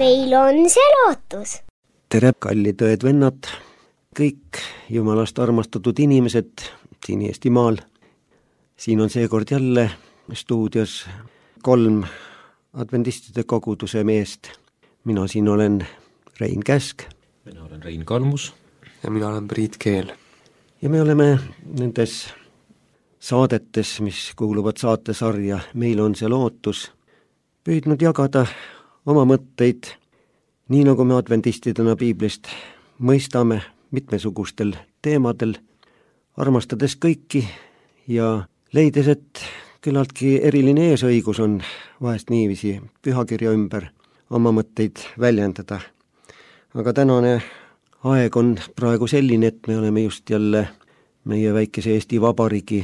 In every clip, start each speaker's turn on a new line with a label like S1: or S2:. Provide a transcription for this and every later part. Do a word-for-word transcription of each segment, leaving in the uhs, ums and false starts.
S1: meil on see lootus.
S2: Tere, kallid õed-vennad, kõik Jumalast armastatud inimesed siin Eestimaal. Siin on seekord jälle stuudios kolm adventistide koguduse meest. Mina siin olen Rein Käsk.
S3: Mina olen Rein Kalmus.
S4: Ja mina olen Priit Keel.
S2: Ja me oleme nendes saadetes, mis kuuluvad saatesarja Meil on see lootus, püüdnud jagada oma mõtteid, nii nagu me adventistidena piiblist mõistame mitmesugustel teemadel, armastades kõiki ja leides, et küllaltki eriline eesõigus on vahest niiviisi pühakirja ümber oma mõtteid väljendada. Aga tänane aeg on praegu selline, et me oleme just jälle meie väikese Eesti Vabariigi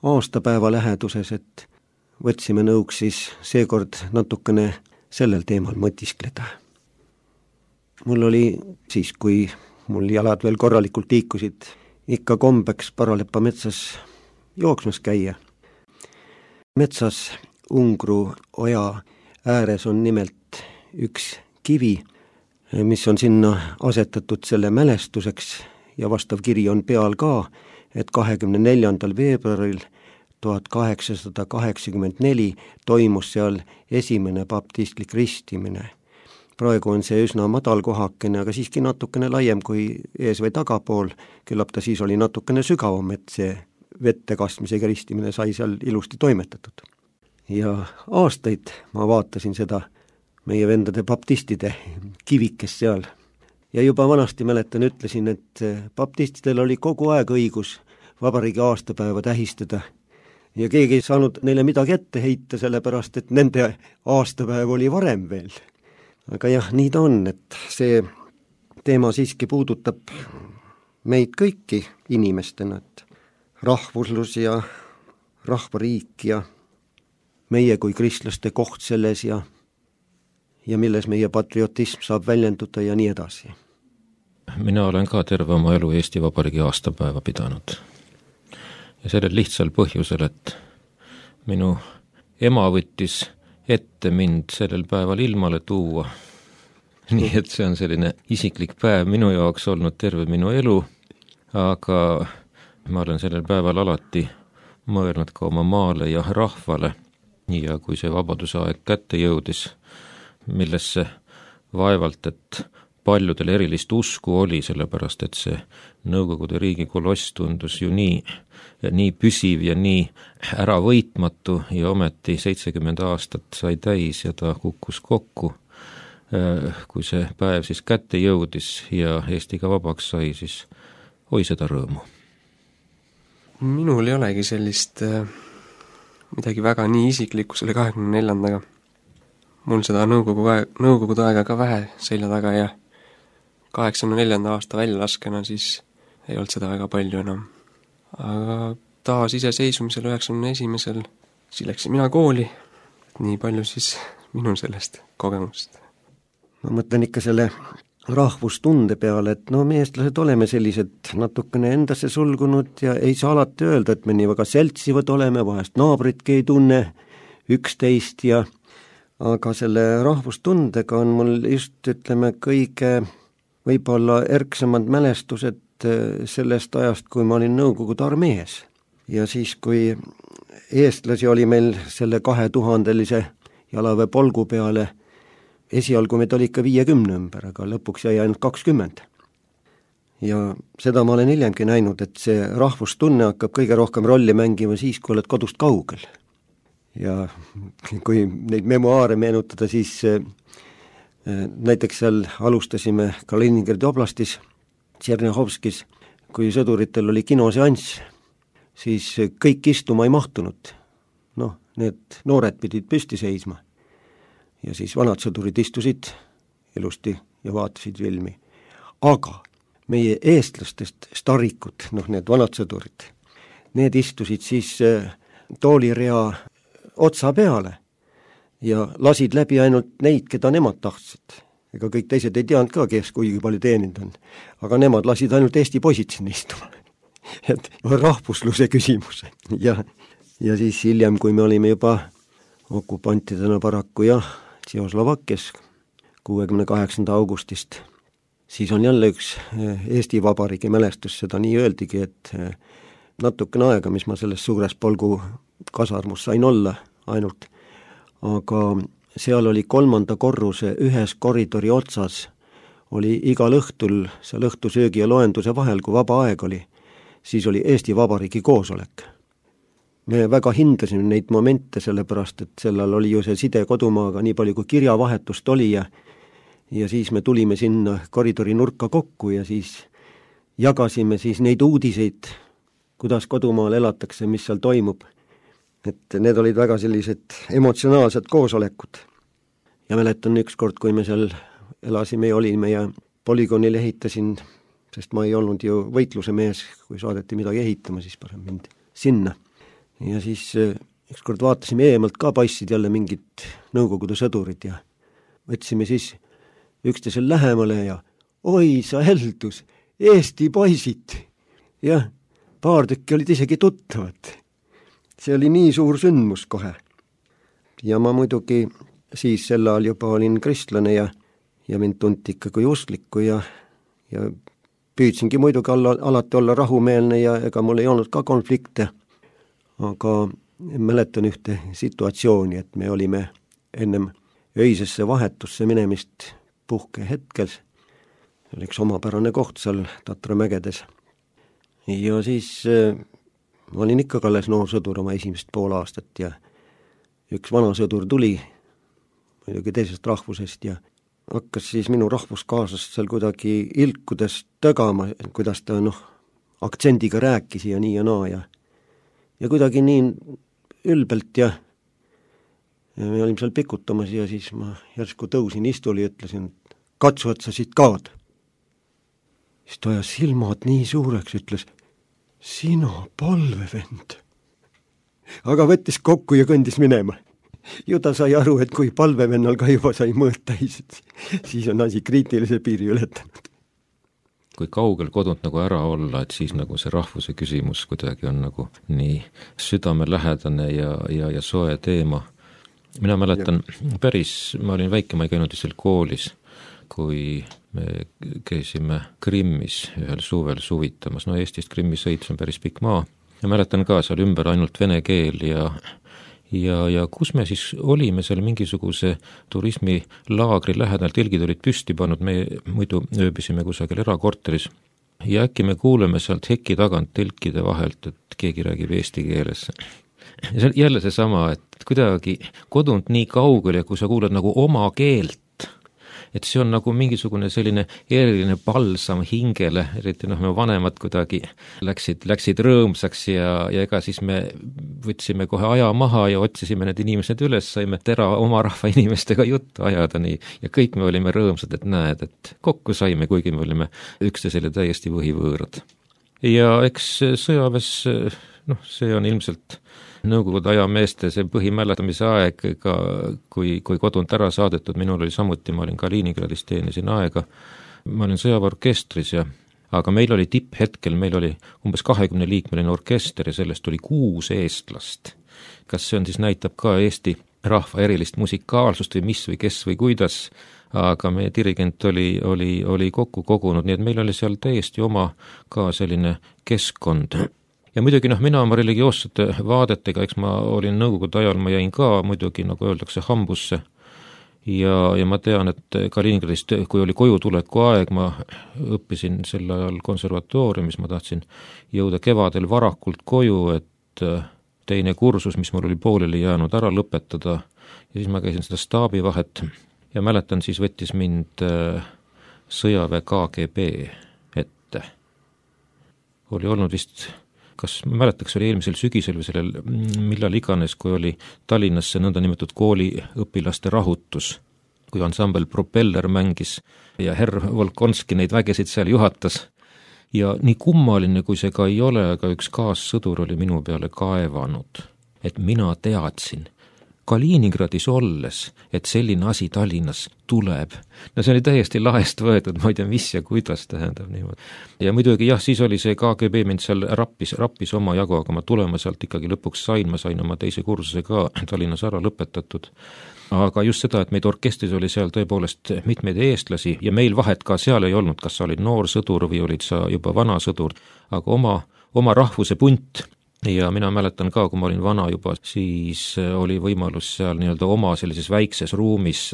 S2: aastapäeva läheduses, et võtsime nõuks siis seekord natukene sellel teemal mõtiskleda. Mul oli siis, kui mul jalad veel korralikult liikusid, ikka kombeks Paralepa metsas jooksmas käia. Metsas Ungru oja ääres on nimelt üks kivi, mis on sinna asetatud selle mälestuseks ja vastav kiri on peal ka, et kahekümne neljandal veebruaril tuhat kaheksasada kaheksakümmend neli toimus seal esimene baptistlik ristimine. Praegu on see üsna madal kohakene, aga siiski natukene laiem kui ees või tagapool, küllap ta siis oli natukene sügavam, et see vette kastmisega ristimine sai seal ilusti toimetatud. Ja aastaid ma vaatasin seda meie vendade baptistide kivikest seal. Ja juba vanasti mäletan, ütlesin, et baptistidel oli kogu aeg õigus vabariigi aastapäeva tähistada. Ja keegi ei saanud neile midagi ette heita, sellepärast, et nende aastapäev oli varem veel. Aga jah, nii ta on, et see teema siiski puudutab meid kõiki inimestena, et rahvuslus ja rahvariik ja meie kui kristlaste koht selles ja, ja milles meie patriotism saab väljenduda ja nii edasi.
S3: Mina olen ka terve oma elu Eesti Vabariigi aastapäeva pidanud. Ja sellel lihtsal põhjusel, et minu ema võttis ette mind sellel päeval ilmale tuua. Nii et see on selline isiklik päev minu jaoks olnud terve minu elu, aga ma olen sellel päeval alati mõelnud ka oma maale ja rahvale. Ja kui see vabaduse aeg kätte jõudis, millesse vaevalt, et paljudel erilist usku oli, sellepärast et see Nõukogude riigi koloss tundus ju nii, nii püsiv ja nii äravõitmatu ja ometi seitsekümmend aastat sai täis ja ta kukkus kokku. Kui see päev siis kätte jõudis ja Eesti ka vabaks sai, siis oi seda rõõmu.
S4: Minul ei olegi sellist äh, midagi väga nii isiklikku selle kahekümne neljandaga. Mul seda nõukogu aeg, nõukogude aega ka vähe selja taga ja kaheksakümne neljanda aasta väljalaskena siis ei olnud seda väga palju enam. Aga taas iseseisvumisel üheksakümne esimesel siis läksin mina kooli, nii palju siis minul sellest kogemust.
S2: Ma mõtlen ikka selle rahvustunde peale, et no me eestlased oleme sellised natukene endasse sulgunud ja ei saa alati öelda, et me nii väga seltsivad oleme, vahest naabritki ei tunne üksteist ja aga selle rahvustundega on mul just, ütleme, kõige võib-olla erksamad mälestused sellest ajast, kui ma olin Nõukogude armees. Ja siis, kui eestlasi oli meil selle kahe tuhandelise jalaväe polgu peale, esialgu meid oli ikka viiekümne ümber, aga lõpuks jäi ainult kakskümmend. Ja seda ma olen hiljemgi näinud, et see rahvustunne hakkab kõige rohkem rolli mängima siis, kui oled kodust kaugel. Ja kui neid memoaare meenutada, siis näiteks seal alustasime Kaliningradi oblastis, Tšernihovskis, kui sõduritel oli kinoseanss, siis kõik istuma ei mahtunud. Noh, need noored pidid püsti seisma. Ja siis vanad sõdurid istusid ilusti ja vaatasid filmi. Aga meie eestlastest starikud, noh need vanad sõdurid, need istusid siis toolirea otsa peale ja lasid läbi ainult neid, keda nemad tahtsid. Ega kõik teised ei teadnud ka, kes kuigi palju teeninud on. Aga nemad lasid ainult Eesti poisid sinna istuma. Et rahvusluse küsimus. Ja, ja siis hiljem, kui me olime juba okupantidena paraku jah, Tšehhoslovakkias kuuekümne kaheksanda augustist. Siis on jälle üks Eesti Vabariigi mälestus, seda nii öeldigi, et natukene aega, mis ma selles suures Polgu kasarmus sain olla ainult, aga seal oli kolmanda korruse ühes koridori otsas, oli igal õhtul seal õhtusöögi ja loenduse vahel, kui vaba aeg oli, siis oli Eesti Vabariigi koosolek. Me väga hindasime neid momente, sellepärast et sellal oli ju see side kodumaaga nii palju, kui kirjavahetust oli ja ja siis me tulime sinna koridori nurka kokku ja siis jagasime siis neid uudiseid, kuidas kodumaal elatakse, mis seal toimub. Et need olid väga sellised emotsionaalsed koosolekud. Ja mäletan üks kord, kui me seal elasime ja olime ja polügoonil ehitasin, sest ma ei olnud ju võitluse mees, kui saadeti midagi ehitama, siis parem mind sinna. Ja siis üks kord vaatasime eemalt ka, paistsid jälle mingid Nõukogude sõdurid ja võtsime siis üksteisel lähemale ja oi sa heldus, Eesti poisid. Jah, paar tükki olid isegi tuttavad. See oli nii suur sündmus kohe. Ja ma muidugi siis sel ajal juba olin kristlane ja, ja mind tunti ikka kui usklikku ja, ja püüdsingi muidugi olla, alati olla rahumeelne ja ega mul ei olnud ka konflikte. Aga mäletan ühte situatsiooni, et me olime ennem öisesse vahetusse minemist puhke hetkel. See oli üks omapärane koht seal Tatramägedes. Ja siis äh, ma olin ikka alles noor sõdur oma esimest pool aastat ja üks vana sõdur tuli muidugi teisest rahvusest ja hakkas siis minu rahvuskaasast seal kuidagi ilkudes tögama, kuidas ta noh, aktsendiga rääkis ja nii ja naa ja ja kuidagi nii ülbelt ja ja me olime seal pikutamas ja siis ma järsku tõusin istuli ja ütlesin, et katsu, et sa siit kaod. Siis ta ajas silmad nii suureks, ütles, sina palvevend. Aga võttis kokku ja kõndis minema. Ju ta sai aru, et kui palvevennal ka juba sai mõõt täis, siis on asi kriitilise piiri ületanud.
S3: Kui kaugel kodunt nagu ära olla, et siis nagu see rahvuse küsimus kuidagi on nagu nii südamelähedane ja, ja, ja soe teema. Mina mäletan päris, ma olin väike, ma ei käinud seal koolis, kui me käisime Krimmis ühel suvel suvitamas. No Eestist Krimmi sõits on päris pikk maa. Ja mäletan ka seal ümber ainult vene keel ja, ja, ja kus me siis olime seal mingisuguse turismilaagri lähedal, telgid olid püsti pannud, me muidu ööbisime kusagil erakorteris. Ja äkki me kuuleme sealt heki tagant telkide vahelt, et keegi räägib eesti keeles. Ja see jälle see sama, et kuidagi kodunt nii kaugel ja kui sa kuuled nagu oma keelt, et see on nagu mingisugune selline eriline balsam hingele, eriti noh, me vanemad kuidagi läksid, läksid rõõmsaks ja, ja ega siis me võtsime kohe aja maha ja otsisime need inimesed üles, saime tera oma rahva inimestega juttu ajada nii ja kõik me olime rõõmsad, et näed, et kokku saime, kuigi me olime üksteisele täiesti võhivõõrad. Ja eks sõjaväes, noh, see on ilmselt Nõukogude aja meeste see põhimäletamise aeg, ka kui, kui kodunt ära saadetud, minul oli samuti, ma olin Kaliningradis, teenisin aega, ma olin sõjaväeorkestris ja aga meil oli tipphetkel, meil oli umbes kahekümne liikmeline orkester ja sellest oli kuus eestlast. Kas see on siis näitab ka Eesti rahva erilist musikaalsust või mis või kes või kuidas, aga meie dirigent oli, oli, oli kokku kogunud, nii et meil oli seal täiesti oma ka selline keskkond. Ja muidugi noh, mina oma religioossete vaadetega, eks ma olin Nõukogude ajal, ma jäin ka muidugi, nagu öeldakse, hambusse. Ja, ja ma tean, et Kaliningradist, kui oli koju tuleku aeg, ma õppisin sel ajal konservatooriumis, ma tahtsin jõuda kevadel varakult koju, et teine kursus, mis mul oli pooleli jäänud, ära lõpetada. Ja siis ma käisin seda staabivahet ja mäletan, siis võttis mind sõjaväe K G B ette. Oli olnud vist... kas ma mäletaks, oli eelmisel sügisel või sellel millal iganes, kui oli Tallinnas see nõnda nimetatud kooliõpilaste rahutus, kui ansambel Propeller mängis ja herr Volkonski neid vägesid seal juhatas. Ja nii kummaline, kui see ka ei ole, aga üks kaassõdur oli minu peale kaevanud, et mina teadsin Kaliningradis olles, et selline asi Tallinnas tuleb. No see oli täiesti lahest võetud, ma ei tea, mis ja kuidas tähendab niimoodi. Ja muidugi jah, siis oli see K G B mind seal rappis, rappis oma jagu, aga ma tulema sealt ikkagi lõpuks sain, ma sain oma teise kursuse ka Tallinnas ära lõpetatud. aga just seda, et meid orkestris oli seal tõepoolest mitmeid eestlasi ja meil vahet ka seal ei olnud, kas sa olid noor sõdur või olid sa juba vana sõdur, aga oma, oma rahvuse punt ja mina mäletan ka, kui ma olin vana juba, siis oli võimalus seal nii-öelda oma sellises väikses ruumis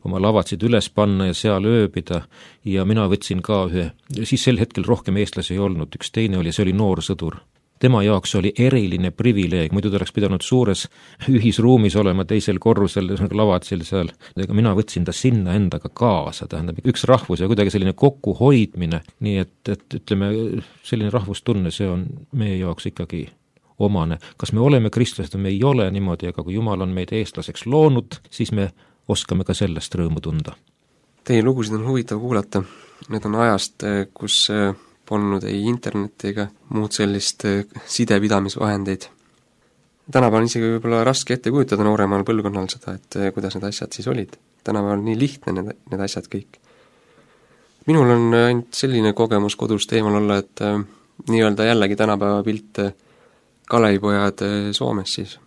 S3: oma lavatsid üles panna ja seal ööbida ja mina võtsin ka ühe, siis sel hetkel rohkem eestlasi ei olnud, üks teine oli, see oli noor sõdur. Tema jaoks oli eriline privileeg, muidu ta oleks pidanud suures ühisruumis olema teisel korrusel, lavatsil seal, aga mina võtsin ta sinna endaga kaasa, tähendab üks rahvus ja kuidagi selline kokkuhoidmine, nii et, et ütleme, selline rahvustunne, see on meie jaoks ikkagi omane. Kas me oleme kristlased, me ei ole niimoodi, aga kui Jumal on meid eestlaseks loonud, siis me oskame ka sellest rõõmu tunda.
S4: Teie lugusid on huvitav kuulata, need on ajast, kus polnud ei internetti ega muud sellist sidepidamisvahendeid. Tänapäeval on isegi võib-olla raske ette kujutada nooremal põlvkonnal seda, et kuidas need asjad siis olid. Tänapäeval on nii lihtne need, need asjad kõik. Minul on ainult selline kogemus kodust eemal olla, et äh, nii-öelda jällegi tänapäeva pilt äh, Kalevipojad äh, Soomes siis.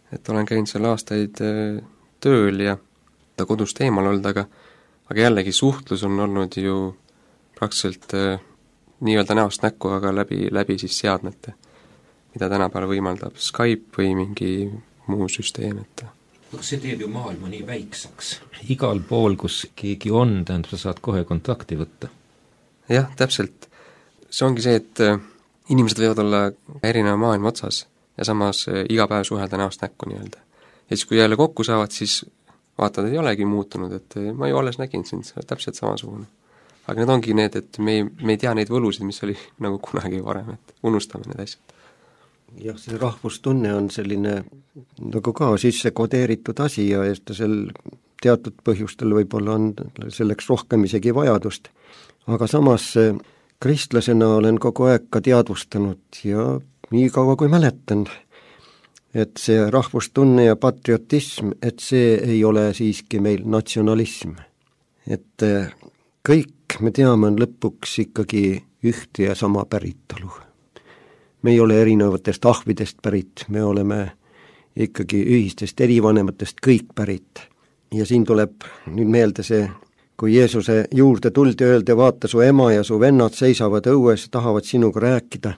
S4: Et olen käinud seal aastaid äh, tööl ja ta kodust eemal olnud, aga, aga jällegi suhtlus on olnud ju praktiliselt äh, nii-öelda näost näkku, aga läbi, läbi siis seadmete, mida tänapäeval võimaldab Skype või mingi muu süsteem, et
S3: see teeb ju maailma nii väiksaks. Igal pool, kus keegi on, tähendab, sa saad kohe kontakti võtta.
S4: Jah, täpselt. See ongi see, et inimesed võivad olla erineva maailma otsas ja samas iga päev suhelda näost näkku nii-öelda. Ja siis, kui jälle kokku saavad, siis vaatad, et ei olegi muutunud, et ma ju alles nägin sind, see on täpselt samasugune. Aga need ongi need, et me ei, me ei tea neid võlusid, mis oli nagu kunagi varem, et unustame need asjad.
S2: Jah, see rahvustunne on selline nagu ka sisse kodeeritud asi ja sel teatud põhjustel võib-olla on selleks rohkem isegi vajadust. Aga samas kristlasena olen kogu aeg ka teadvustanud ja nii kaua kui mäletan, et see rahvustunne ja patriotism, et see ei ole siiski meil natsionalism. Et kõik me teame on lõpuks ikkagi ühte ja sama päritolu. Me ei ole erinevatest ahvidest pärit, me oleme ikkagi ühistest erivanematest kõik pärit. Ja siin tuleb nüüd meelde see, kui Jeesuse juurde tuldi öelda, vaata su ema ja su vennad seisavad õues, tahavad sinuga rääkida.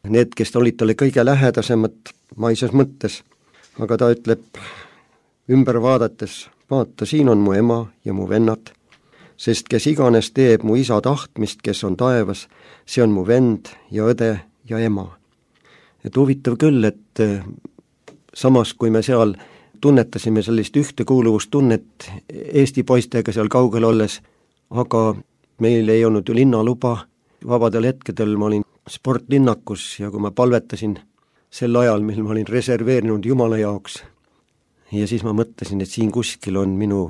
S2: Need, kes olid talle kõige lähedasemad maises mõttes, aga ta ütleb ümber vaadates, vaata, siin on mu ema ja mu vennad, sest kes iganes teeb mu isa tahtmist, kes on taevas, see on mu vend ja õde ja ema. Et huvitav küll, et samas kui me seal tunnetasime sellist ühtekuuluvustunnet Eesti poistega seal kaugel olles, aga meil ei olnud ju linnaluba, vabadel hetkedel ma olin sportlinnakus ja kui ma palvetasin sel ajal, mil ma olin reserveerinud Jumala jaoks, ja siis ma mõtlesin, et siin kuskil on minu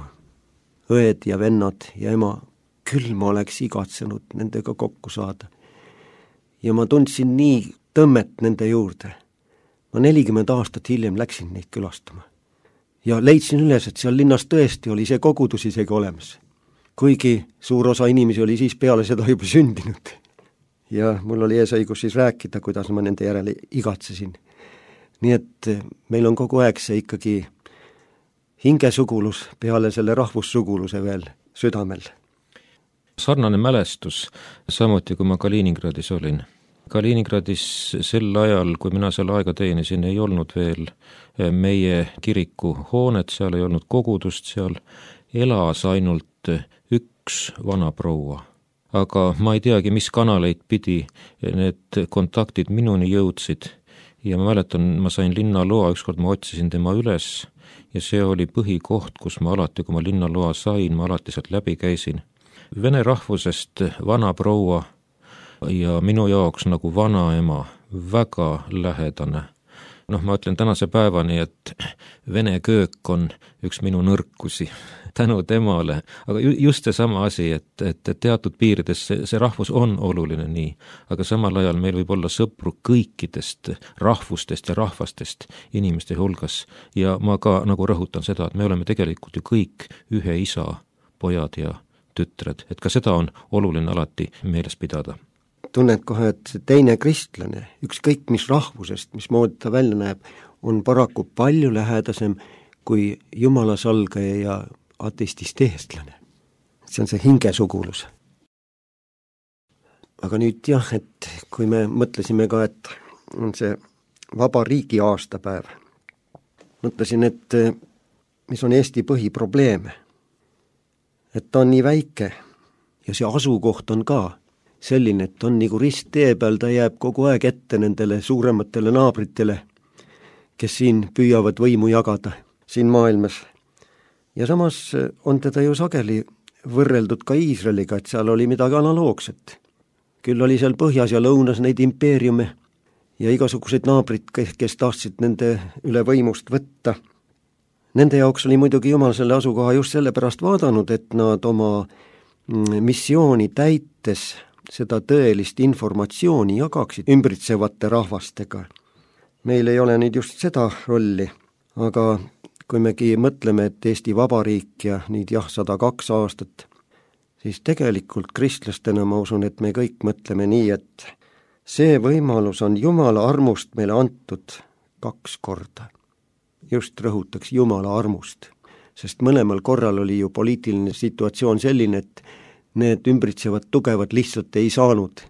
S2: õed ja vennad ja ema, küll ma oleks igatsenud nendega kokku saada. Ja ma tundsin nii tõmmet nende juurde. Ma nelikümmend aastat hiljem läksin neid külastama. Ja leidsin üles, et seal linnas tõesti oli see kogudus isegi olemas. Kuigi suur osa inimesi oli siis peale seda juba sündinud. Ja mul oli eesõigus siis rääkida, kuidas ma nende järele igatsesin. Nii et meil on kogu aeg see ikkagi hingesugulus peale selle rahvussuguluse veel südamel.
S3: Sarnane mälestus, samuti kui ma Kaliningradis olin. Kaliningradis sel ajal, kui mina seal aega teenisin, ei olnud veel meie kiriku hoonet, seal ei olnud kogudust, seal elas ainult üks vana proua. Aga ma ei teagi, mis kanaleid pidi need kontaktid minuni jõudsid ja ma mäletan, ma sain linnaloa, ükskord ma otsisin tema üles ja see oli põhikoht, kus ma alati, kui ma linnaloa sain, ma alati sealt läbi käisin. Vene rahvusest vana proua ja minu jaoks nagu vanaema, väga lähedane. Noh, ma ütlen tänase päevani, et vene köök on üks minu nõrkusi tänu temale, aga just see sama asi, et, et teatud piirides see, see rahvus on oluline nii, aga samal ajal meil võib olla sõpru kõikidest rahvustest ja rahvastest inimeste hulgas ja ma ka nagu rõhutan seda, et me oleme tegelikult ju kõik ühe isa pojad ja tütred, et ka seda on oluline alati meeles pidada.
S2: Tunned kohe, et see teine kristlane, ükskõik mis rahvusest, mis moodi ta välja näeb, on paraku palju lähedasem kui jumala salgaja ja ateistist eestlane. See on see hingesugulus. Aga nüüd jah, et kui me mõtlesime ka, et on see vaba riigi aastapäev, mõtlesin, et mis on Eesti põhiprobleem, et ta on nii väike ja see asukoht on ka selline, et on nagu risttee peal, ta jääb kogu aeg ette nendele suurematele naabritele, kes siin püüavad võimu jagada siin maailmas. Ja samas on teda ju sageli võrreldud ka Iisraeliga, et seal oli midagi analoogset. Küll oli seal põhjas ja lõunas neid impeeriume ja igasugused naabrid, kes tahtsid nende üle võimust võtta. Nende jaoks oli muidugi Jumal selle asukoha just sellepärast vaadanud, et nad oma missiooni täites seda tõelist informatsiooni jagaksid ümbritsevate rahvastega. Meil ei ole nüüd just seda rolli, aga kui megi mõtleme, et Eesti Vabariik ja nüüd jah, sada kaks aastat, siis tegelikult kristlastena ma usun, et me kõik mõtleme nii, et see võimalus on Jumala armust meile antud kaks korda. Just rõhutaks Jumala armust, sest mõlemal korral oli ju poliitiline situatsioon selline, et need ümbritsevad tugevad lihtsalt ei saanud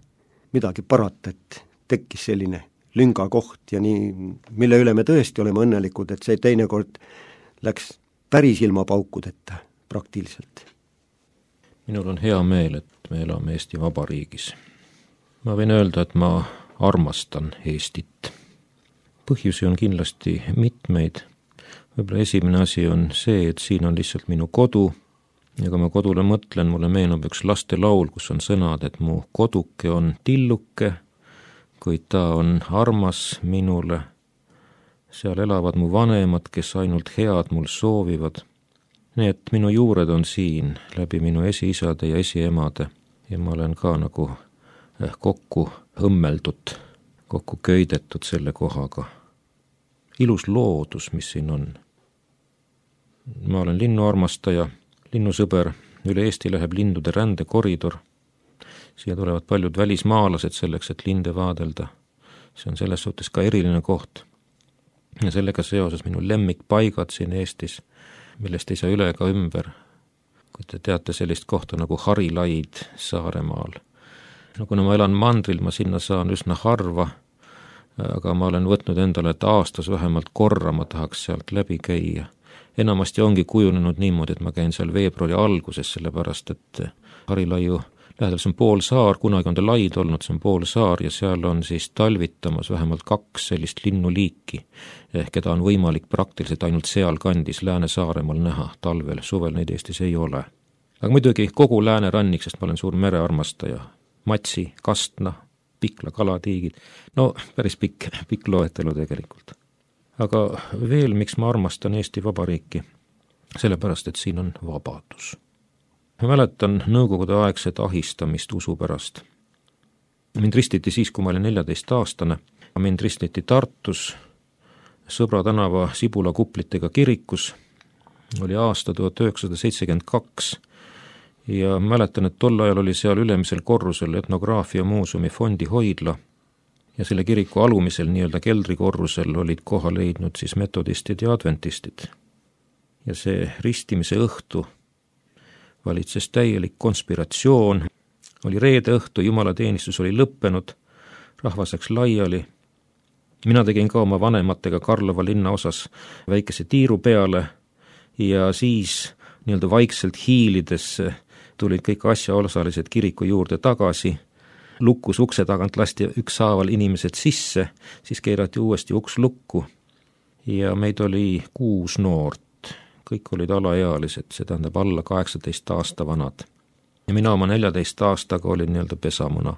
S2: midagi parata, et tekkis selline lünga koht ja nii, mille üle me tõesti oleme õnnelikud, et see teinekord läks päris ilma paukudeta praktiliselt.
S3: Minul on hea meel, et me elame Eesti Vabariigis. Ma võin öelda, et ma armastan Eestit. Põhjusi on kindlasti mitmeid. Võib-olla esimene asi on see, et siin on lihtsalt minu kodu ja kui ma kodule mõtlen, mulle meenub üks lastelaul, kus on sõnad, et mu koduke on tilluke, kuid ta on armas minule. Seal elavad mu vanemad, kes ainult head mul soovivad. Nii et minu juured on siin läbi minu esiisade ja esiemade ja ma olen ka nagu kokku õmmeldud, kokku köidetud selle kohaga. Ilus loodus, mis siin on. Ma olen linnuarmastaja, linnusõber, üle Eesti läheb lindude rändekoridor. Siia tulevad paljud välismaalased selleks, et linde vaadelda. See on selles suhtes ka eriline koht. Ja sellega seoses minu lemmikpaigad siin Eestis, millest ei saa üle ega ümber. Kui te teate sellist kohta nagu Harilaid Saaremaal. No kuna ma elan mandril, ma sinna saan üsna harva, aga ma olen võtnud endale, et aastas vähemalt korra ma tahaks sealt läbi käia. Enamasti ongi kujunenud niimoodi, et ma käin seal veebruari alguses, sellepärast et Harilaiu lähedal see on pool saar, kunagi on ta laid olnud, see on pool saar ja seal on siis talvitamas vähemalt kaks sellist linnuliiki, keda on võimalik praktiliselt ainult seal kandis Lääne-Saaremaal näha talvel, suvel neid Eestis ei ole. Aga muidugi kogu Läänerannik, sest ma olen suur merearmastaja, Matsi, Kastna, Pikla, kalatiigid, no päris pikk, pikk loetelu tegelikult. Aga veel, miks ma armastan Eesti Vabariiki? Sellepärast, et siin on vabadus. Ma mäletan nõukogude aegset ahistamist usu pärast. Mind ristiti siis, kui ma olin neljateist aastane. Mind ristiti Tartus, Sõbra tänava Sibula kuplitega kirikus. Oli aasta tuhat üheksasada seitsekümmend kaks ja mäletan, et tol ajal oli seal ülemisel korrusel etnograafia muuseumi fondi hoidla ja selle kiriku alumisel nii-öelda keldrikorrusel olid koha leidnud siis metodistid ja adventistid. Ja see ristimise õhtu valitses täielik konspiratsioon, oli reede õhtu, jumalateenistus oli lõppenud, rahvas läks laiali. Mina tegin ka oma vanematega Karlova linna osas väikese tiiru peale ja siis nii-öelda vaikselt hiilides tulid kõik asjaosalised kiriku juurde tagasi, lukus ukse tagant lasti ükshaaval inimesed sisse, siis keerati uuesti uks lukku ja meid oli kuus noort. Kõik olid alaealised, see tähendab alla kaheksateist aasta vanad. Ja mina oma neljateist aastaga olin nii-öelda pesamuna.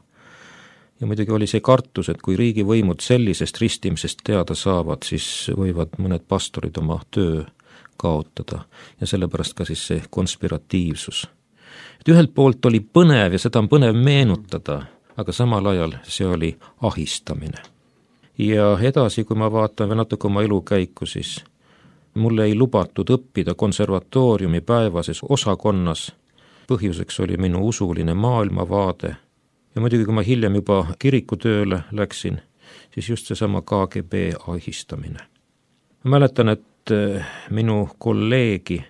S3: Ja muidugi oli see kartus, et kui riigivõimud sellisest ristimisest teada saavad, siis võivad mõned pastorid oma töö kaotada ja sellepärast ka siis see konspiratiivsus. Et ühelt poolt oli põnev ja seda on põnev meenutada, aga samal ajal see oli ahistamine. Ja edasi, kui ma vaatan veel natuke oma elukäiku, siis mulle ei lubatud õppida konservatooriumi päevases osakonnas. Põhjuseks oli minu usuline maailmavaade. Ja muidugi, kui ma hiljem juba kirikutööle läksin, siis just seesama K G B ahistamine. Ma mäletan, et minu kolleegi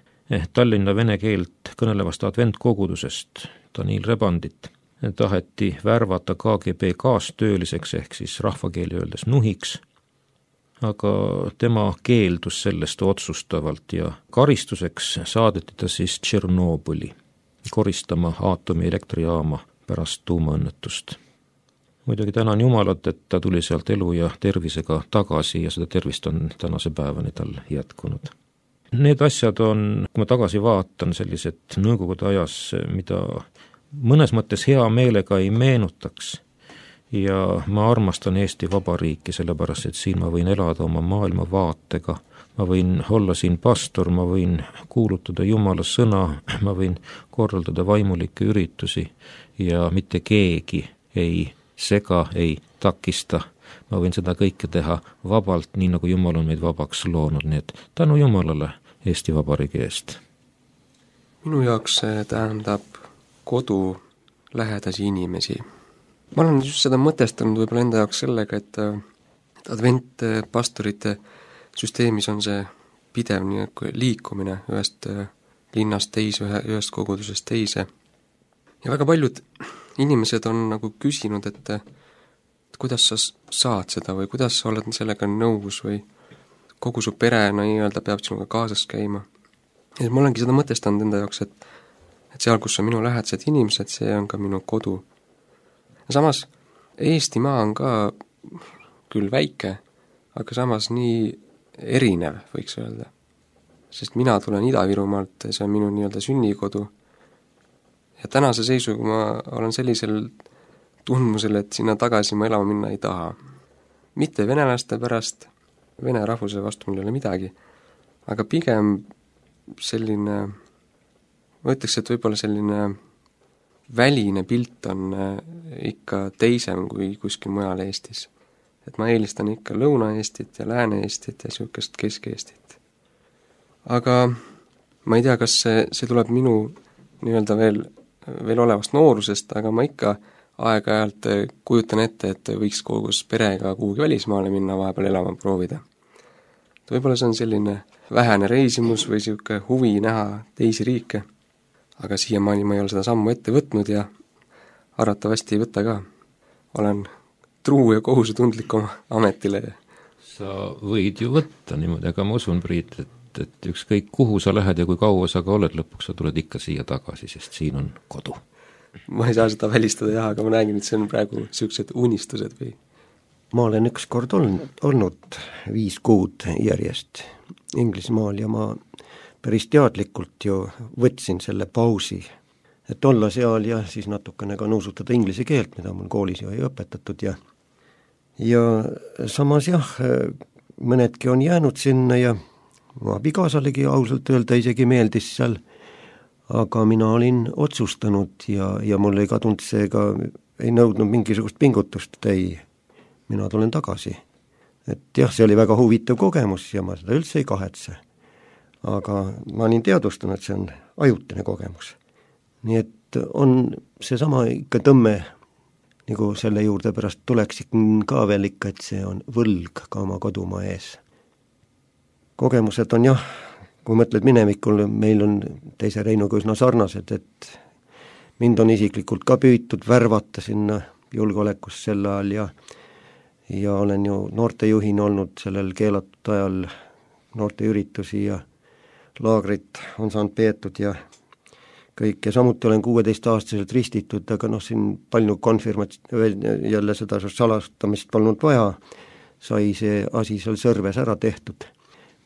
S3: Tallinna vene keelt kõnelevast adventkogudusest, Daniil Rebandit, taheti värvata K G B kaastööliseks ehk siis rahvakeeli öeldes nuhiks, aga tema keeldus sellest otsustavalt ja karistuseks saadeti ta siis Tšernobõli koristama aatomielektrijaama pärast tuumaõnnetust. Muidugi tänan Jumalat, et ta tuli sealt elu ja tervisega tagasi ja seda tervist on tänase päevani tal jätkunud. Need asjad on, kui ma tagasi vaatan, sellised nõukogude ajas, mida mõnes mõttes hea meelega ei meenutaks ja ma armastan Eesti Vabariiki, sellepärast et siin ma võin elada oma maailmavaatega, ma võin olla siin pastor, ma võin kuulutada Jumala sõna, ma võin korraldada vaimulikke üritusi ja mitte keegi ei sega, ei takista. Ma võin seda kõike teha vabalt, nii nagu Jumal on meid vabaks loonud, nii et tänu Jumalale Eesti Vabariigi eest.
S4: Minu jaoks see tähendab kodu lähedasi inimesi. Ma olen just seda mõtestanud võib-olla enda jaoks sellega, et, et adventpastorite süsteemis on see pidev nii liikumine ühest linnast teise, ühest kogudusest teise. Ja väga paljud inimesed on nagu küsinud, et, et kuidas sa saad seda või kuidas sa oled sellega nõus või kogu su pere nii-öelda peab sinuga kaasas käima. Ja ma olengi seda mõtestanud enda jaoks, et, et seal, kus on minu lähedased inimesed, see on ka minu kodu. Ja samas Eestimaa on ka küll väike, aga samas nii erinev, võiks öelda. Sest mina tulen Ida-Virumaalt, see on minu nii-öelda sünnikodu. Ja tänase seisuga ma olen sellisel tundmusel, et sinna tagasi ma elama minna ei taha. Mitte venelaste pärast, vene rahvuse vastu mul ei ole midagi, aga pigem selline, ma ütleks, et võib-olla selline väline pilt on ikka teisem kui kuskil mujal Eestis. Et ma eelistan ikka Lõuna-Eestit ja Lääne-Eestit ja siukest Kesk-Eestit. Aga ma ei tea, kas see, see tuleb minu nii-öelda veel, veel olevast noorusest, aga ma ikka aeg-ajalt kujutan ette, et võiks kogus perega kuhugi välismaale minna, vahepeal elama proovida. Võib-olla see on selline vähene reisimus või siuke huvi näha teisi riike, aga siiamaani ma ei ole seda sammu ette võtnud ja arvatavasti ei võta ka. Olen truu ja kohusetundlik oma ametile.
S3: Sa võid ju võtta niimoodi, aga ma usun, Priit, et, et ükskõik kuhu sa lähed ja kui kaua sa ka oled, lõpuks sa tuled ikka siia tagasi, sest siin on kodu.
S4: Ma ei saa seda välistada jah, aga ma nägin, et see on praegu siuksed unistused või?
S2: Ma olen üks kord olnud, olnud viis kuud järjest Inglismaal ja ma päris teadlikult ju võtsin selle pausi, et olla seal ja siis natukene ka nuusutada inglise keelt, mida mul koolis ju ei õpetatud ja ja samas jah, mõnedki on jäänud sinna ja ma abikaasalegi ausalt öelda isegi meeldis seal, aga mina olin otsustanud ja, ja mul ei kadunud see ka, ei nõudnud mingisugust pingutust, ei, mina tulen tagasi. Et jah, see oli väga huvitav kogemus ja ma seda üldse ei kahetse. Aga ma olin teadvustanud, et see on ajutine kogemus. Nii et on seesama ikka tõmme, nagu selle juurde pärast tuleks ka veel ikka, et see on võlg ka oma kodumaa ees. Kogemused on jah, kui mõtled minevikul, meil on teise Reinuga üsna sarnased, et mind on isiklikult ka püütud värvata sinna julgeolekus sel ajal ja, ja olen ju noortejuhin olnud sellel keelatud ajal noorteüritusi ja laagrit on saanud peetud ja kõik ja samuti olen kuueteist-aastaselt ristitud, aga noh, siin palju konfirmats-, jälle seda salastamist polnud vaja, sai see asi seal Sõrves ära tehtud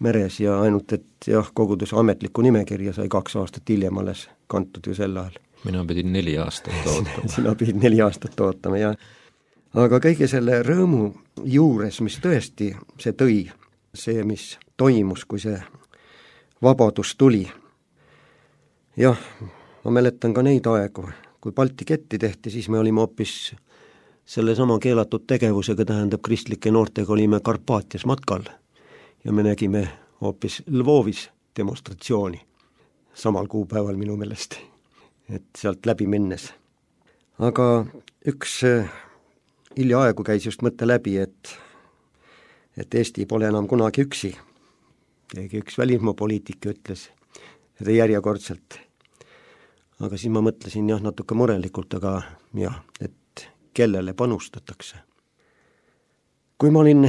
S2: meres ja ainult, et jah, koguduse ametlikku nimekirja sai kaks aastat hiljem alles kantud ju sel ajal.
S3: Mina pidin neli aastat ootama.
S2: Sina pidid neli aastat ootama, jah. Aga kõige selle rõõmu juures, mis tõesti see tõi, see, mis toimus, kui see vabadus tuli. Jah, ma mäletan ka neid aegu, kui Balti ketti tehti, siis me olime hoopis selle sama keelatud tegevusega, tähendab kristlike noortega olime Karpaatias matkal ja me nägime hoopis Lvovis demonstratsiooni samal kuupäeval minu meelest, et sealt läbi minnes. Aga üks hiljaaegu käis just mõtte läbi, et, et Eesti pole enam kunagi üksi. keegi üks välismaapoliitik ütles järjekordselt. Aga siis ma mõtlesin jah, natuke murelikult, aga jah, et kellele panustatakse. Kui ma olin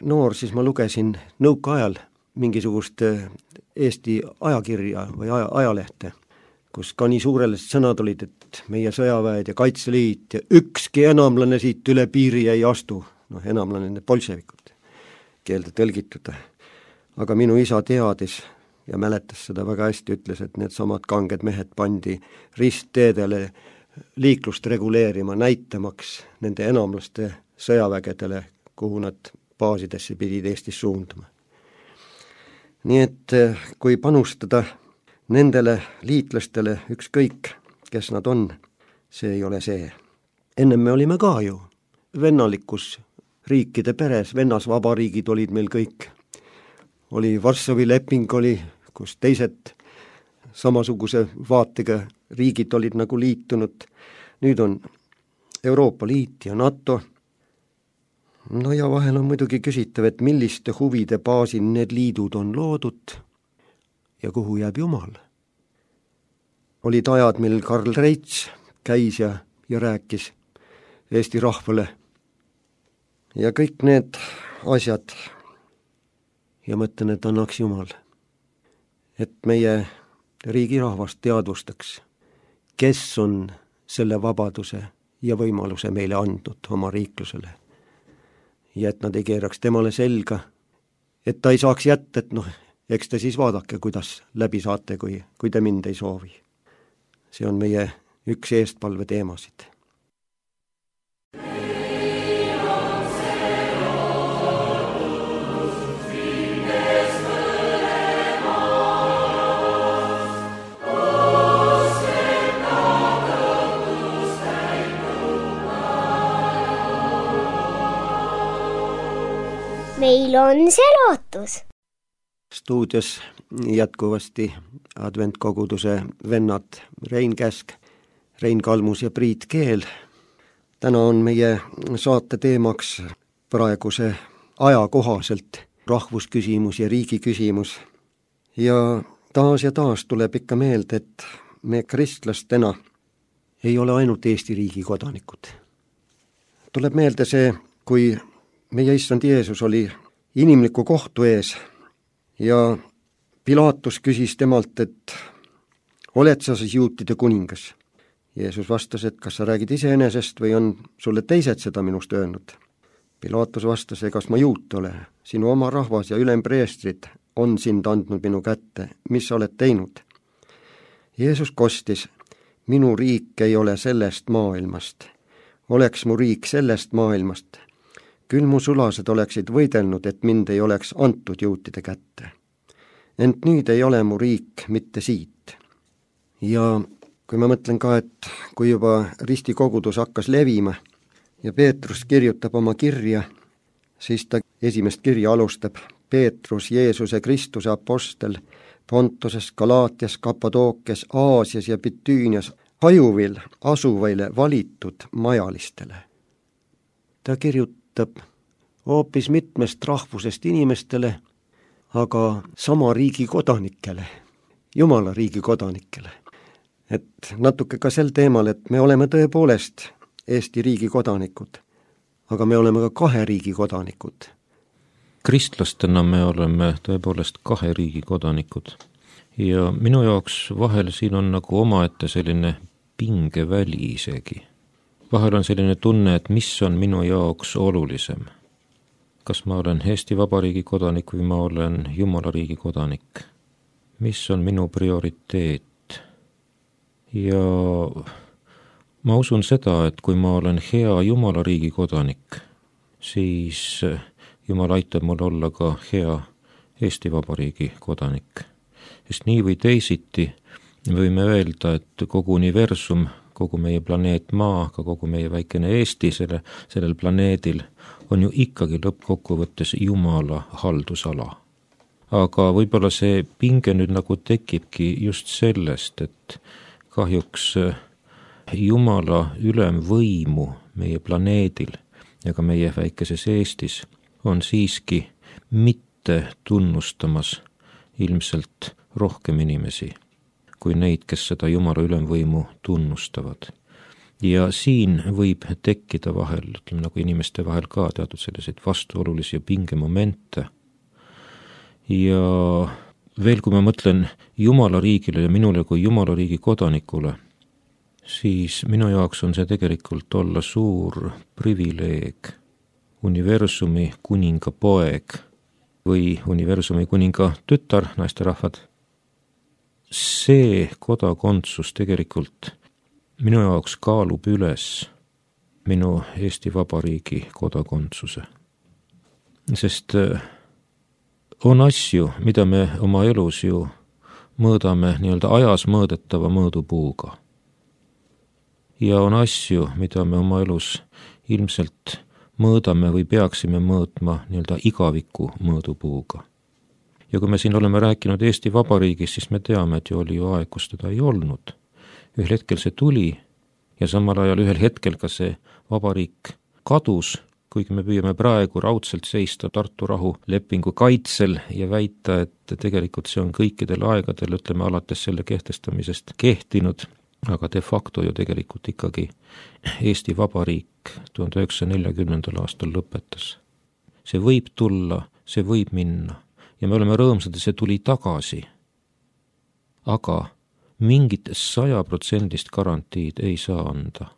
S2: noor, siis ma lugesin nõukaajal mingisugust Eesti ajakirja või aja, ajalehte, kus ka nii suurele sõnad olid, et meie sõjaväed ja Kaitseliit ja ükski enamlane siit üle piiri ei astu. Noh, enamlane need bolševikud, keelde tõlgitud. Aga minu isa teadis ja mäletas seda väga hästi, ütles, et need samad kanged mehed pandi ristteedele liiklust reguleerima, näitamaks nende enamlaste sõjavägedele, kuhu nad baasidesse pidid Eestis suunduma. Nii et kui panustada nendele liitlastele ükskõik, kes nad on, see ei ole see. Ennem me olime ka ju vennalikus riikide peres, vennasvabariigid olid meil kõik. Oli Varssavi leping oli, kus teised samasuguse vaatega riigid olid nagu liitunud. Nüüd on Euroopa Liit ja NATO. No ja vahel on muidugi küsitav, et milliste huvide baasil need liidud on loodud ja kuhu jääb Jumal. Olid ajad, mil Karl Reits käis ja, ja rääkis Eesti rahvale. Ja kõik need asjad ja mõtlen, et annaks Jumal, et meie riigi rahvast teadvustaks, kes on selle vabaduse ja võimaluse meile andnud oma riiklusele. Ja et nad ei keeraks temale selga, et ta ei saaks jätta, et noh, eks te siis vaadake, kuidas läbi saate, kui, kui te mind ei soovi. See on meie üks eestpalve teemasid.
S1: Meil on see lootus.
S2: Stuudios jätkuvasti adventkoguduse vennad Rein Käsk, Rein Kalmus ja Priit Keel. Täna on meie saate teemaks praeguse ajakohaselt rahvusküsimus ja riigi küsimus. Ja taas ja taas tuleb ikka meelde, et me kristlastena ei ole ainult Eesti riigi kodanikud. Tuleb meelde see, kui meie issand Jeesus oli inimliku kohtu ees ja Pilaatus küsis temalt, et oled sa siis juutide kuningas? Jeesus vastas, et kas sa räägid iseenesest või on sulle teised seda minust öelnud? Pilaatus vastas, egas ma juut ole, sinu oma rahvas ja ülempreestrid on sind andnud minu kätte, mis sa oled teinud? Jeesus kostis, minu riik ei ole sellest maailmast, oleks mu riik sellest maailmast, küll mu sulased oleksid võidelnud, et mind ei oleks antud juutide kätte. Ent nüüd ei ole mu riik mitte siit. Ja kui ma mõtlen ka, et kui juba ristikogudus hakkas levima ja Peetrus kirjutab oma kirja, siis ta esimest kirja alustab Peetrus, Jeesuse Kristuse apostel, Pontoses, Galaatias, Kappadookias, Aasias ja Bitüünias, hajuvil asuvaile valitud majalistele. Ta kirjutab hoopis mitmest rahvusest inimestele, aga sama riigi kodanikele, Jumala riigi kodanikele. Et natuke ka sel teemal, et me oleme tõepoolest Eesti riigi kodanikud, aga me oleme ka kahe riigi kodanikud.
S3: Kristlastena me oleme tõepoolest kahe riigi kodanikud ja minu jaoks vahel siin on nagu omaette selline pingeväli isegi. Vahel on selline tunne, et mis on minu jaoks olulisem. Kas ma olen Eesti Vabariigi kodanik või ma olen Jumala riigi kodanik? Mis on minu prioriteet? Ja ma usun seda, et kui ma olen hea Jumala riigi kodanik, siis Jumal aitab mul olla ka hea Eesti Vabariigi kodanik. Sest nii või teisiti võime öelda, et kogu universum, kogu meie planeet Maa, ka kogu meie väikene Eesti selle, sellel planeedil on ju ikkagi lõppkokkuvõttes Jumala haldusala. Aga võib-olla see pinge nüüd nagu tekibki just sellest, et kahjuks Jumala ülemvõimu meie planeedil ja ka meie väikeses Eestis on siiski mitte mitte tunnustamas ilmselt rohkem inimesi kui neid, kes seda Jumala ülemvõimu tunnustavad. Ja siin võib tekkida vahel, ütleme nagu inimeste vahel ka teatud selliseid vastuolulisi pingemomente. Ja veel, kui ma mõtlen Jumala riigile ja minule kui Jumala riigi kodanikule, siis minu jaoks on see tegelikult olla suur privileeg, universumi kuninga poeg või universumi kuninga tütar, naisterahvad. See kodakondsus tegelikult minu jaoks kaalub üles minu Eesti Vabariigi kodakondsuse. Sest on asju, mida me oma elus ju mõõdame nii-öelda ajas mõõdetava mõõdupuuga. Ja on asju, mida me oma elus ilmselt mõõdame või peaksime mõõtma nii-öelda igaviku mõõdupuuga. Ja kui me siin oleme rääkinud Eesti Vabariigis, siis me teame, et ju oli ju aeg, kus teda ei olnud. Ühel hetkel see tuli ja samal ajal ühel hetkel ka see vabariik kadus, kuigi me püüame praegu raudselt seista Tartu rahulepingu kaitsel ja väita, et tegelikult see on kõikidel aegadel, ütleme alates selle kehtestamisest kehtinud, aga de facto ju tegelikult ikkagi Eesti Vabariik tuhande üheksasaja neljakümnendal aastal lõpetas. See võib tulla, see võib minna ja me oleme rõõmsad, et see tuli tagasi. Aga mingit sajaprotsendist garantiid ei saa anda,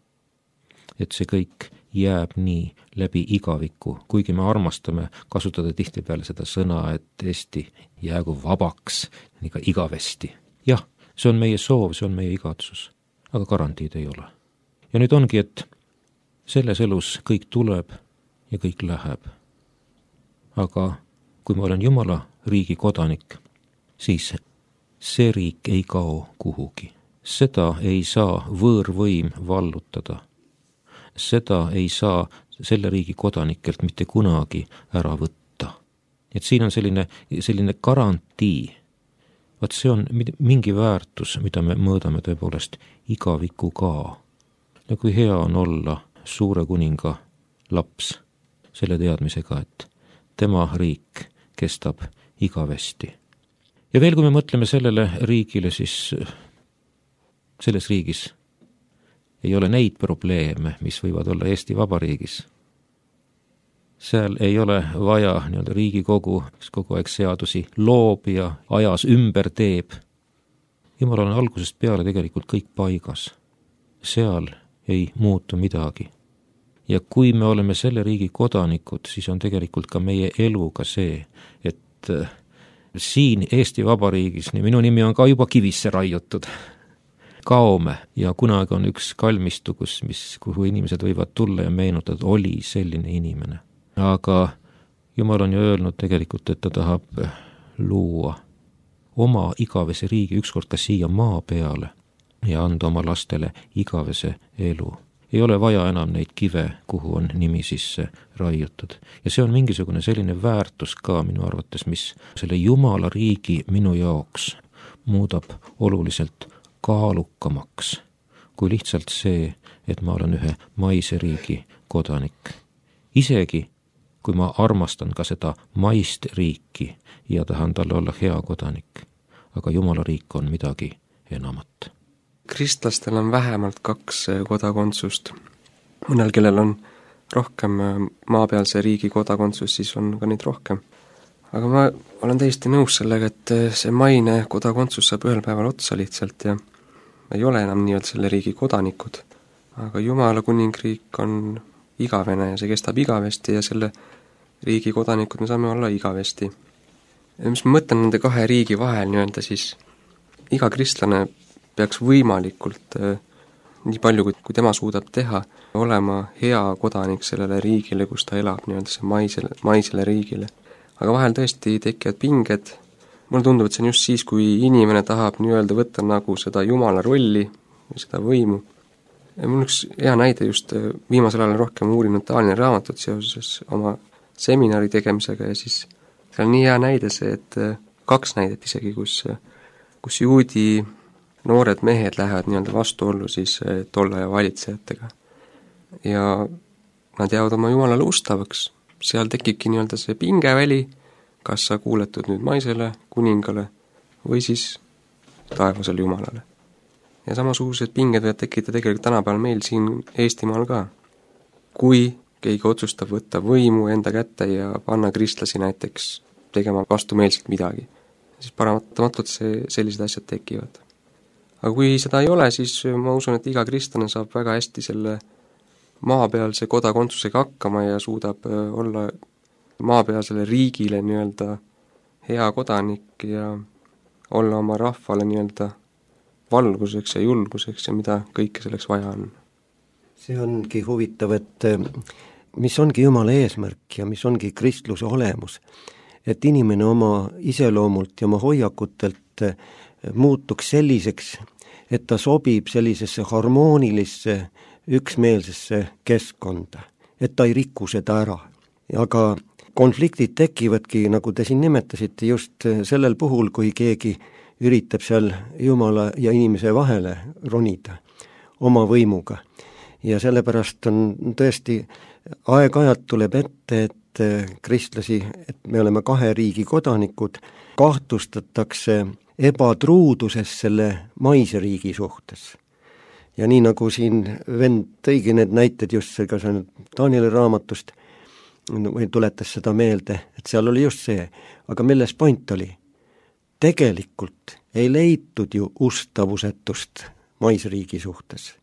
S3: et see kõik jääb nii läbi igaviku, kuigi me armastame kasutada tihtipeale seda sõna, et Eesti jäägu vabaks nii ka igavesti. Jah, see on meie soov, see on meie igatsus, aga garantiid ei ole. Ja nüüd ongi, et selles elus kõik tuleb ja kõik läheb. Aga kui ma olen Jumala riigi kodanik, siis see riik ei kao kuhugi. Seda ei saa võõrvõim vallutada. Seda ei saa selle riigi kodanikelt mitte kunagi ära võtta. Et siin on selline, selline garantii. Vaat see on mingi väärtus, mida me mõõdame tõepoolest igaviku ka. Ja kui hea on olla suure kuninga laps selle teadmisega, et tema riik kestab igavesti. Ja veel, kui me mõtleme sellele riigile, siis selles riigis ei ole neid probleeme, mis võivad olla Eesti Vabariigis. Seal ei ole vaja nii-öelda Riigikogu, kes kogu aeg seadusi loob ja ajas ümber teeb. Jumal on algusest peale tegelikult kõik paigas. Seal ei muutu midagi. Ja kui me oleme selle riigi kodanikud, siis on tegelikult ka meie eluga see, et siin Eesti Vabariigis, nii minu nimi on ka juba kivisse raiutud, kaome ja kunagi on üks kalmistu, kus, mis, kuhu inimesed võivad tulla ja meenutada, et oli selline inimene. Aga Jumal on ju öelnud tegelikult, et ta tahab luua oma igavese riigi ükskord ka siia maa peale ja anda oma lastele igavese elu. Ei ole vaja enam neid kive, kuhu on nimi sisse raiutud. Ja see on mingisugune selline väärtus ka minu arvates, mis selle Jumala riigi minu jaoks muudab oluliselt kaalukamaks kui lihtsalt see, et ma olen ühe maise riigi kodanik. Isegi kui ma armastan ka seda maist riiki ja tahan talle olla hea kodanik, aga Jumala riik on midagi enamat.
S4: Kristlastel on vähemalt kaks kodakondsust. Mõnel, kellel on rohkem maapealse riigi kodakondsus, siis on ka neid rohkem. Aga ma olen täiesti nõus sellega, et see maine kodakondsus saab ühel päeval otsa lihtsalt ja ei ole enam nii-öelda selle riigi kodanikud. Aga Jumala kuningriik on igavene ja see kestab igavesti ja selle riigi kodanikud me saame olla igavesti. Ja mis ma mõtlen nende kahe riigi vahel nii-öelda, siis iga kristlane peaks võimalikult äh, nii palju, kui, kui tema suudab teha, olema hea kodanik sellele riigile, kus ta elab, nii-öelda see maisele, maisele riigile. Aga vahel tõesti tekivad pinged. Mulle tundub, et see on just siis, kui inimene tahab nii-öelda võtta nagu seda Jumala rolli ja seda võimu. Ja mul üks hea näide just viimasel ajal rohkem uurinud Taanini raamatut seoses oma seminari tegemisega ja siis seal on nii hea näide see, et kaks näidet isegi, kus, kus juudi noored mehed lähevad nii-öelda vastuollu siis tolle ja valitsejatega. Ja nad jäävad oma Jumalale ustavaks. Seal tekibki nii-öelda see pingeväli, kas sa kuuletud nüüd maisele, kuningale või siis taevasele jumalale. Ja samasugused pinged võivad tekkida tegelikult tänapäeval meil siin Eestimaal ka. Kui keegi otsustab võtta võimu enda kätte ja panna kristlasi näiteks tegema vastumeelselt midagi, siis paratamatult see, sellised asjad tekivad. Aga kui seda ei ole, siis ma usun, et iga kristlane saab väga hästi selle maapealse kodakondsusega hakkama ja suudab olla maapealsele riigile nii-öelda hea kodanik ja olla oma rahvale nii-öelda valguseks ja julguseks ja mida kõike selleks vaja on.
S2: See ongi huvitav, et mis ongi Jumala eesmärk ja mis ongi kristluse olemus, et inimene oma iseloomult ja oma hoiakutelt muutuks selliseks, et ta sobib sellisesse harmoonilisse, üksmeelsesse keskkonda, et ta ei riku seda ära. Aga konfliktid tekivadki, nagu te siin nimetasite, just sellel puhul, kui keegi üritab seal Jumala ja inimese vahele ronida oma võimuga. Ja sellepärast on tõesti, aeg-ajalt tuleb ette, et kristlasi, et me oleme kahe riigi kodanikud, kahtlustatakse ebatruuduses selle maise riigi suhtes. Ja nii nagu siin vend tõigi need näited just see, ka see Danieli raamatust, või tuletas seda meelde, et seal oli just see, aga milles point oli? Tegelikult ei leitud ju ustavusetust maisriigi suhtes.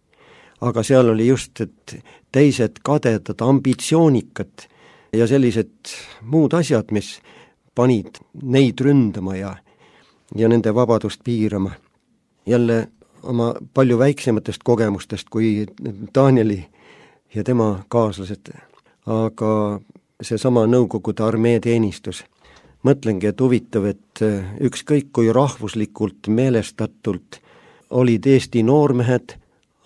S2: Aga seal oli just, et teised kadedad, ambitsioonikad ja sellised muud asjad, mis panid neid ründama ja, ja nende vabadust piirama. Jälle oma palju väiksematest kogemustest kui Danieli ja tema kaaslased, aga seesama Nõukogude armee teenistus. Mõtlengi, et huvitav, et ükskõik kui rahvuslikult meelestatult olid Eesti noormehed,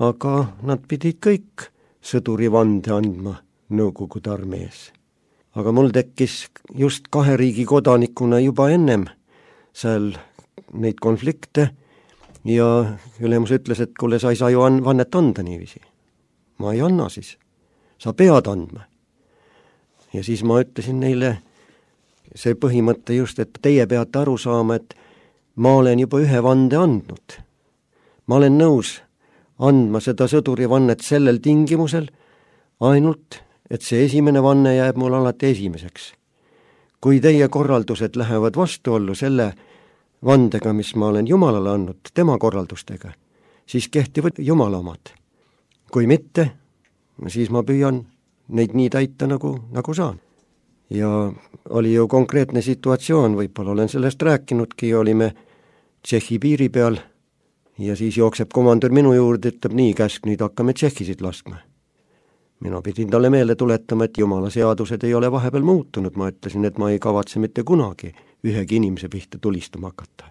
S2: aga nad pidid kõik sõdurivande andma Nõukogude armees. Aga mul tekkis just kahe riigi kodanikuna juba ennem seal neid konflikte ja ülemus ütles, et kuule, sa ei saa ju vannet anda niiviisi. Ma ei anna siis, sa pead andma. Ja siis ma ütlesin neile see põhimõte just, et teie peate aru saama, et ma olen juba ühe vande andnud. Ma olen nõus andma seda sõdurivannet sellel tingimusel, ainult, et see esimene vanne jääb mul alati esimeseks. Kui teie korraldused lähevad vastuollu selle vandega, mis ma olen Jumalale andnud, tema korraldustega, siis kehtivad Jumala omad. Kui mitte, siis ma püüan neid nii täita, nagu, nagu saan. Ja oli ju konkreetne situatsioon, võib-olla olen sellest rääkinudki, olime Tšehhi piiri peal ja siis jookseb komandör minu juurde, ütleb nii, käsk, nüüd hakkame tšehhisid laskma. Mina pidin talle meelde tuletama, et Jumala seadused ei ole vahepeal muutunud, ma ütlesin, et ma ei kavatse mitte kunagi ühegi inimese pihta tulistama hakata.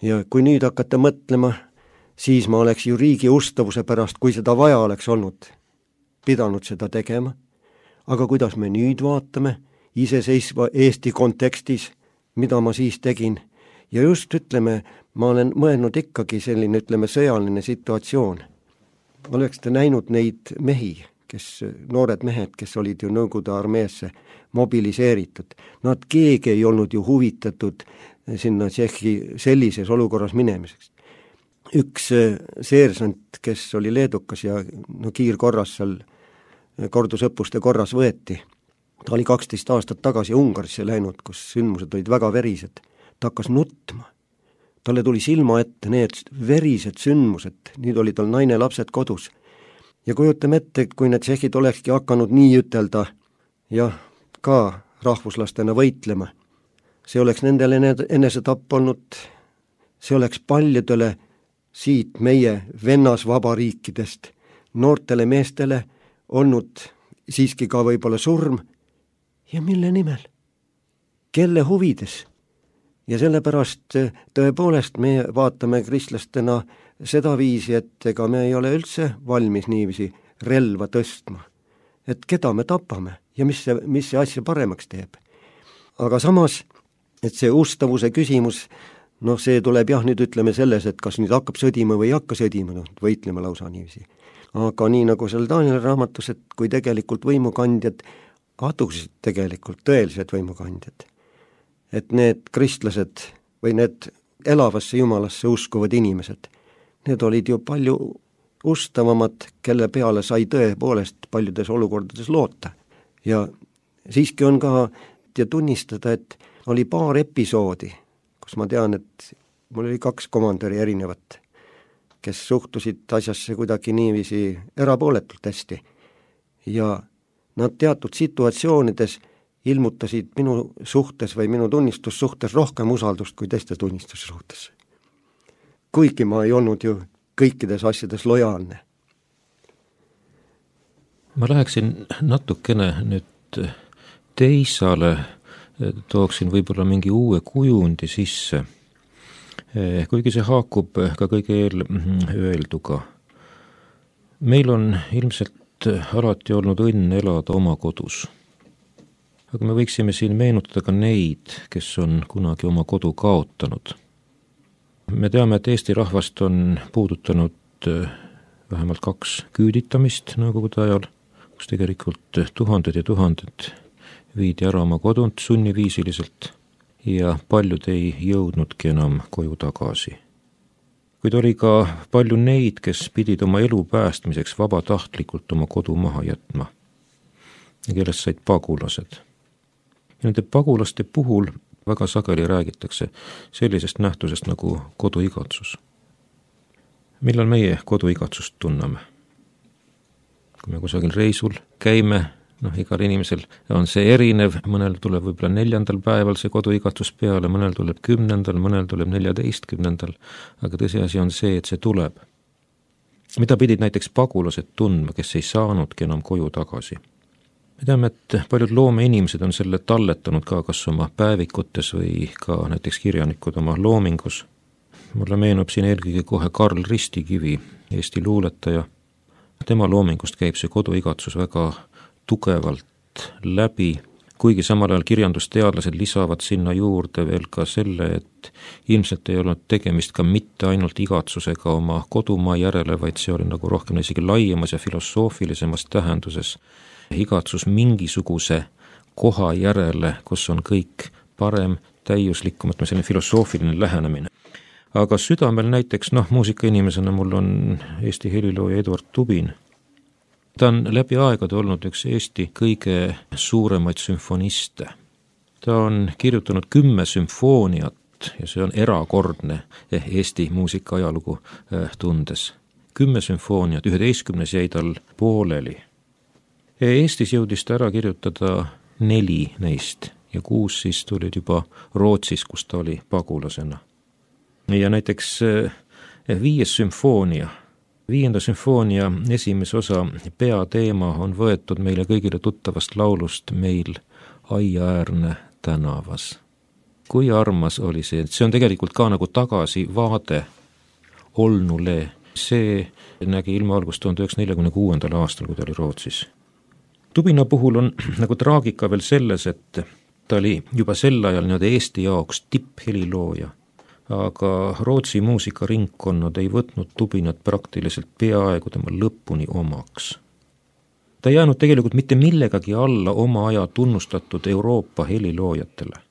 S2: Ja kui nüüd hakata mõtlema, siis ma oleks ju riigi ustavuse pärast, kui seda vaja oleks olnud, pidanud seda tegema. Aga kuidas me nüüd vaatame iseseisva Eesti kontekstis, mida ma siis tegin, ja just ütleme, ma olen mõelnud ikkagi selline, ütleme, sõjaline situatsioon. Oleks te näinud neid mehi, kes, noored mehed, kes olid ju Nõukogude armeesse mobiliseeritud. Nad keegi ei olnud ju huvitatud sinna Tšehhi sellises olukorras minemiseks. Üks seersant, kes oli leedukas ja no, kiirkorras seal kordusõppuste korras võeti. Ta oli kaksteist aastat tagasi Ungarisse läinud, kus sündmused olid väga verised. Ta hakkas nutma. Talle tuli silma ette need verised sündmused, nüüd oli tal naine, lapsed kodus. Ja kujutame ette, kui need tšehhid olekski hakanud nii ütelda ja ka rahvuslastena võitlema. See oleks nendele enesetapp olnud, see oleks paljudele siit meie vennasvabariikidest noortele meestele olnud siiski ka võib-olla surm ja mille nimel? Kelle huvides? Ja sellepärast tõepoolest me vaatame kristlastena seda viisi, et ega me ei ole üldse valmis niiviisi relva tõstma. Et keda me tapame ja mis see, mis see asja paremaks teeb. Aga samas, et see ustavuse küsimus, noh see tuleb jah nüüd ütleme selles, et kas nüüd hakkab sõdima või ei hakka sõdima, noh võitlema lausa niiviisi. Aga nii nagu seal Danieli raamatus, et kui tegelikult võimukandjad adusid tegelikult tõelised võimukandjad, et need kristlased või need elavasse Jumalasse uskuvad inimesed, need olid ju palju ustavamad, kelle peale sai tõepoolest paljudes olukordades loota. Ja siiski on ka ja tunnistada, et oli paar episoodi, kus ma tean, et mul oli kaks komandöri erinevat, kes suhtusid asjasse kuidagi niiviisi erapooletult hästi. Ja nad teatud situatsioonides ilmutasid minu suhtes või minu tunnistussuhtes rohkem usaldust kui teiste tunnistussuhtes. Kuigi ma ei olnud ju kõikides asjades lojaalne.
S3: Ma läheksin natukene nüüd teisale, tooksin võib-olla mingi uue kujundi sisse, kuigi see haakub ka kõige eelöelduga. Meil on ilmselt alati olnud õnn elada oma kodus. Aga me võiksime siin meenutada ka neid, kes on kunagi oma kodu kaotanud. Me teame, et Eesti rahvast on puudutanud vähemalt kaks küüditamist nõukogude ajal, kus tegelikult tuhanded ja tuhanded viidi ära oma kodunt sunniviisiliselt ja paljud ei jõudnudki enam koju tagasi. Kuid oli ka palju neid, kes pidid oma elu päästmiseks vabatahtlikult oma kodu maha jätma ja kellest said pagulased. Ja nende pagulaste puhul väga sageli räägitakse sellisest nähtusest nagu koduigatsus. Millal meie koduigatsust tunneme? Kui me kusagil reisul käime, noh, igal inimesel on see erinev, mõnel tuleb võib-olla neljandal päeval see koduigatsus peale, mõnel tuleb kümnendal, mõnel tuleb neljateistkümnendal, aga tõsiasi on see, et see tuleb. Mida pidid näiteks pagulased tundma, kes ei saanudki enam koju tagasi? Me teame, et paljud loomeinimesed on selle talletanud ka kas oma päevikutes või ka näiteks kirjanikud oma loomingus. Mulle meenub siin eelkõige kohe Karl Ristikivi, Eesti luuletaja. Tema loomingust käib see koduigatsus väga tugevalt läbi, kuigi samal ajal kirjandusteadlased lisavad sinna juurde veel ka selle, et ilmselt ei olnud tegemist ka mitte ainult igatsusega oma kodumaa järele, vaid see oli nagu rohkem isegi laiemas ja filosoofilisemas tähenduses igatsus mingisuguse koha järele, kus on kõik parem, täiuslikum, et selline filosoofiline lähenemine. Aga südamel näiteks, noh, muusikainimesena mul on Eesti helilooja Eduard Tubin. Ta on läbi aegade olnud üks Eesti kõige suuremaid sümfoniste. Ta on kirjutanud kümme sümfooniat ja see on erakordne Eesti muusika ajalugu tundes. Kümme sümfooniat, üheteistkümnes jäi tal pooleli. Eestis jõudis ta ära kirjutada neli neist ja kuus siis tulid juba Rootsis, kus ta oli pagulasena. Ja näiteks viies sümfoonia, viienda sümfoonia esimese osa peateema on võetud meile kõigile tuttavast laulust Meil aiaäärne tänavas. Kui armas oli see, see on tegelikult ka nagu tagasi vaade olnule. See nägi ilma algust tuhande üheksasaja neljakümne kuuendal aastal, kui ta oli Rootsis. Tubina puhul on nagu traagika veel selles, et ta oli juba sel ajal nii-öelda Eesti jaoks tipphelilooja, aga Rootsi muusikaringkonnad ei võtnud Tubinat praktiliselt peaaegu tema lõpuni omaks. Ta ei jäänud tegelikult mitte millegagi alla oma aja tunnustatud Euroopa heliloojatele.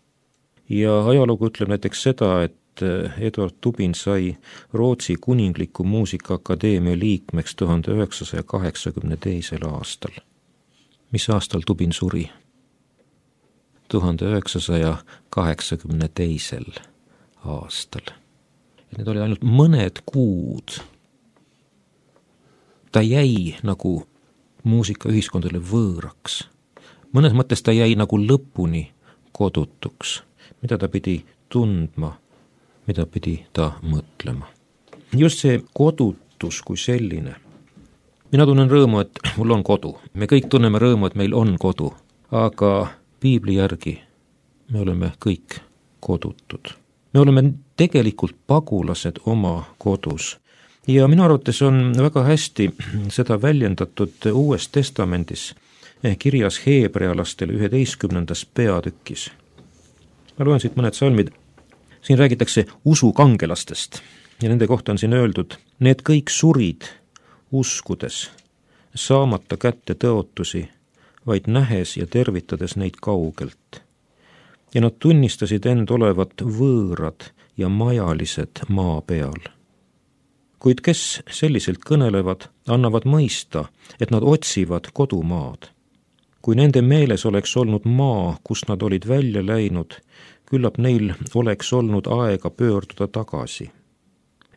S3: Ja ajalugu ütleb näiteks seda, et Eduard Tubin sai Rootsi kuningliku muusikaakadeemia liikmeks tuhande üheksasaja kaheksakümne teisel aastal. Mis aastal Tubin suri? tuhande üheksasaja kaheksakümne teisel aastal. Ja need oli ainult mõned kuud. Ta jäi nagu muusikaühiskondadele võõraks. Mõnes mõttes ta jäi nagu lõpuni kodutuks, mida ta pidi tundma, mida pidi ta mõtlema. Just see kodutus kui selline. Mina tunnen rõõmu, et mul on kodu. Me kõik tunneme rõõmu, et meil on kodu, aga piibli järgi me oleme kõik kodutud. Me oleme tegelikult pagulased oma kodus. Ja minu arvates on väga hästi seda väljendatud Uues Testamendis kirjas heebrealastele üheteistkümnendas peatükis. Ma loen siit mõned salmid. Siin räägitakse usukangelastest ja nende kohta on siin öeldud, need kõik surid uskudes, saamata kätte tõotusi, vaid nähes ja tervitades neid kaugelt. ja nad tunnistasid end olevat võõrad ja majalised maa peal. Kuid kes selliselt kõnelevad, annavad mõista, et nad otsivad kodumaad. Kui nende meeles oleks olnud maa, kus nad olid välja läinud, küllap neil oleks olnud aega pöörduda tagasi.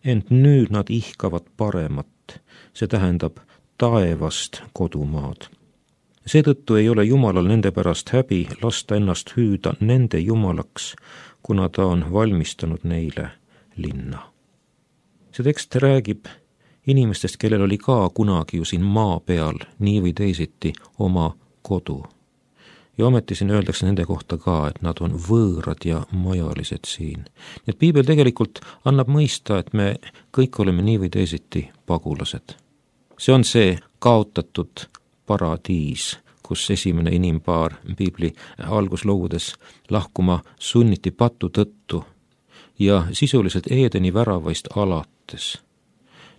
S3: Ent nüüd nad ihkavad paremat, see tähendab taevast kodumaad. Seetõttu ei ole Jumalal nende pärast häbi lasta ennast hüüda nende Jumalaks, kuna ta on valmistanud neile linna. See tekst räägib inimestest, kellel oli ka kunagi ju siin maa peal nii või teisiti oma kodu. Ja ometi siin öeldakse nende kohta ka, et nad on võõrad ja majalised siin. Nii et Piibel tegelikult annab mõista, et me kõik oleme nii või teisiti pagulased. See on see kaotatud paradiis, kus esimene inimpaar Piibli algusloodes lahkuma sunniti patu tõttu ja sisuliselt Eedeni väravaist alates.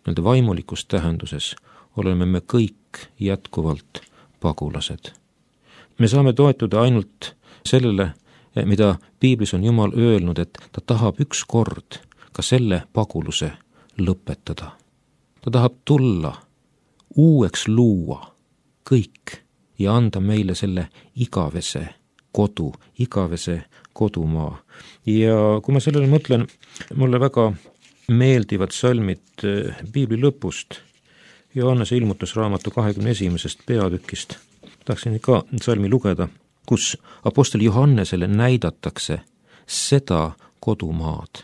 S3: Nende vaimulikus tähenduses oleme me kõik jätkuvalt pagulased. Me saame toetuda ainult sellele, mida Piiblis on Jumal öelnud, et ta tahab üks kord ka selle paguluse lõpetada. Ta tahab tulla, uueks luua kõik ja anda meile selle igavese kodu, igavese kodumaa. Ja kui ma sellele mõtlen, mulle väga meeldivad salmid Piibli lõpust, Johannese ilmutusraamatu kahekümne esimesest peatükist. Tahaksin ka salmi lugeda, kus apostel Johannesele näidatakse seda kodumaad,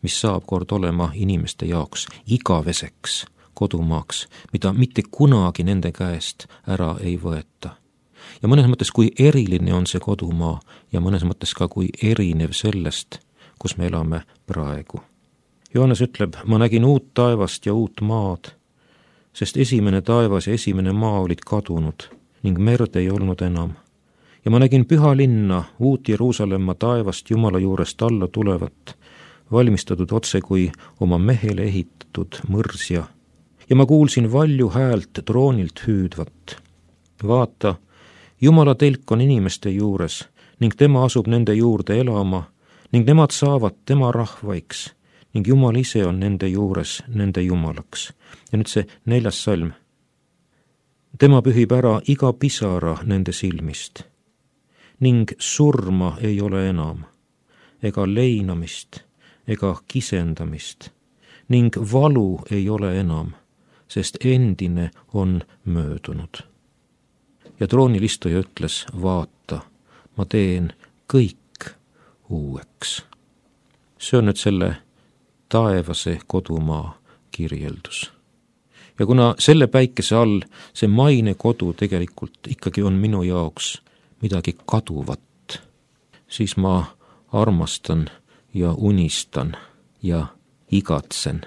S3: mis saab kord olema inimeste jaoks igaveseks kodumaaks, mida mitte kunagi nende käest ära ei võeta. Ja mõnes mõttes, kui eriline on see kodumaa ja mõnes mõttes ka kui erinev sellest, kus me elame praegu. Johannes ütleb, ma nägin uut taevast ja uut maad, sest esimene taevas ja esimene maa olid kadunud ning merd ei olnud enam. Ja ma nägin püha linna, uut Jeruusalemma taevast Jumala juurest alla tulevat, valmistatud otse kui oma mehele ehitatud mõrsja. Ja ma kuulsin valju häält troonilt hüüdvat. Vaata, Jumala telk on inimeste juures ning tema asub nende juurde elama ning nemad saavad tema rahvaiks ning Jumal ise on nende juures nende Jumalaks. Ja nüüd see neljas salm. Tema pühib ära iga pisara nende silmist ning surma ei ole enam, ega leinamist, ega kisendamist ning valu ei ole enam, sest endine on möödunud. Ja troonilistuja ütles, vaata, ma teen kõik uueks. See on nüüd selle taevase kodumaa kirjeldus. Ja kuna selle päikese all see maine kodu tegelikult ikkagi on minu jaoks midagi kaduvat, siis ma armastan ja unistan ja igatsen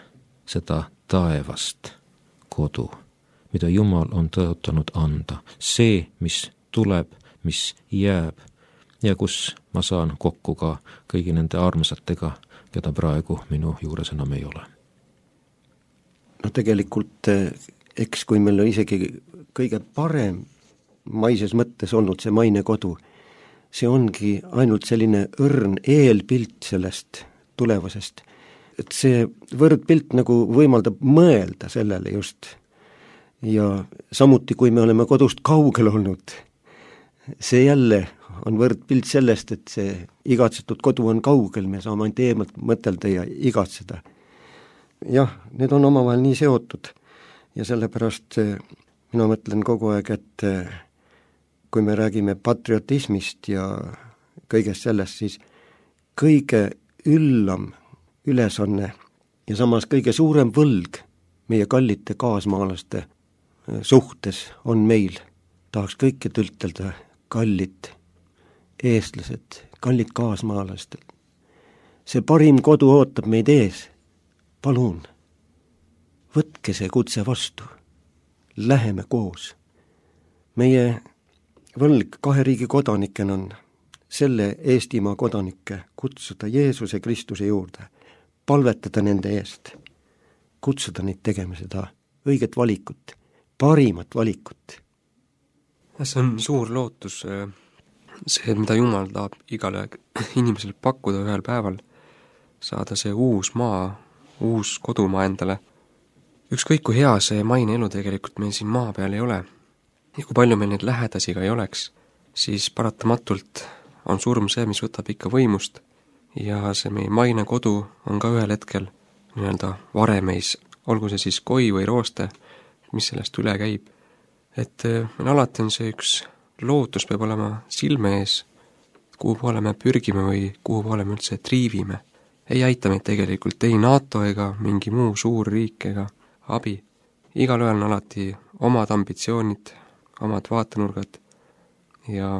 S3: seda taevast kodu, mida Jumal on tõotanud anda. See, mis tuleb, mis jääb ja kus ma saan kokku ka kõigi nende armsatega, keda praegu minu juures enam ei ole.
S2: No tegelikult, eks kui meil on isegi kõige parem maises mõttes olnud see maine kodu, see ongi ainult selline õrn eelpilt sellest tulevasest. Et see võrdpilt nagu võimaldab mõelda sellele just. Ja samuti, kui me oleme kodust kaugel olnud, see jälle on võrdpilt sellest, et see igatsetud kodu on kaugel, me saame ainult eemalt mõtelda ja igatseda. Jah, need on omavahel nii seotud ja sellepärast mina mõtlen kogu aeg, et kui me räägime patriotismist ja kõigest sellest, siis kõige üllam ülesanne ja samas kõige suurem võlg meie kallite kaasmaalaste suhtes on meil. Tahaks kõike ütelda kallid eestlased, kallid kaasmaalased. See parim kodu ootab meid ees. Palun, võtke see kutse vastu. Läheme koos. Meie võlg kahe riigi kodanikena on selle Eestimaa kodanikke kutsuda Jeesuse Kristuse juurde, palvetada nende eest, kutsuda neid tegema seda õiget valikut, parimat valikut.
S4: See on suur lootus see, mida Jumal tahab igale inimesele pakkuda ühel päeval, saada see uus maa, uus kodumaa endale. Ükskõik kui hea see maine elu tegelikult meil siin maa peal ei ole ja kui palju meil neid lähedasi ka ei oleks, siis paratamatult on surm see, mis võtab ikka võimust ja see meie maine kodu on ka ühel hetkel nii-öelda varemeis, olgu see siis koi või rooste, mis sellest üle käib. Et meil alati on see üks lootus peab olema silme ees, kuhu poole me pürgime või kuhu poole me üldse triivime. Ei aita meid tegelikult ei NATO ega mingi muu suur riik ega abi. Igal ühel on alati omad ambitsioonid, omad vaatenurgad ja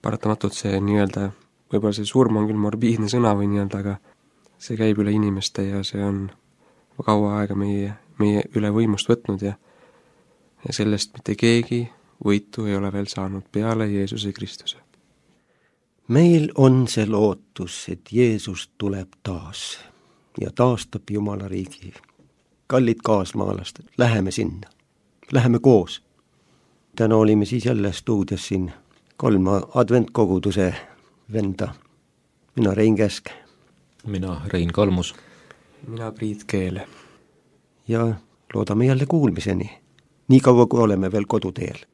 S4: paratamatult see nii-öelda, võib-olla see surm on küll morbiidne sõna või nii-öelda, aga see käib üle inimeste ja see on kaua aega meie, meie üle võimust võtnud ja, ja sellest mitte keegi võitu ei ole veel saanud peale Jeesuse Kristuse.
S2: Meil on see lootus, et Jeesus tuleb taas ja taastab Jumala riigi. Kallid kaasmaalased, läheme sinna, läheme koos. Täna olime siis jälle stuudios siin kolm adventkoguduse venda. Mina Rein Käsk.
S3: Mina Rein Kalmus.
S4: Mina Priit Keel.
S2: Ja loodame jälle kuulmiseni, nii kaua kui oleme veel koduteel.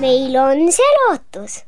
S1: Meil on see lootus.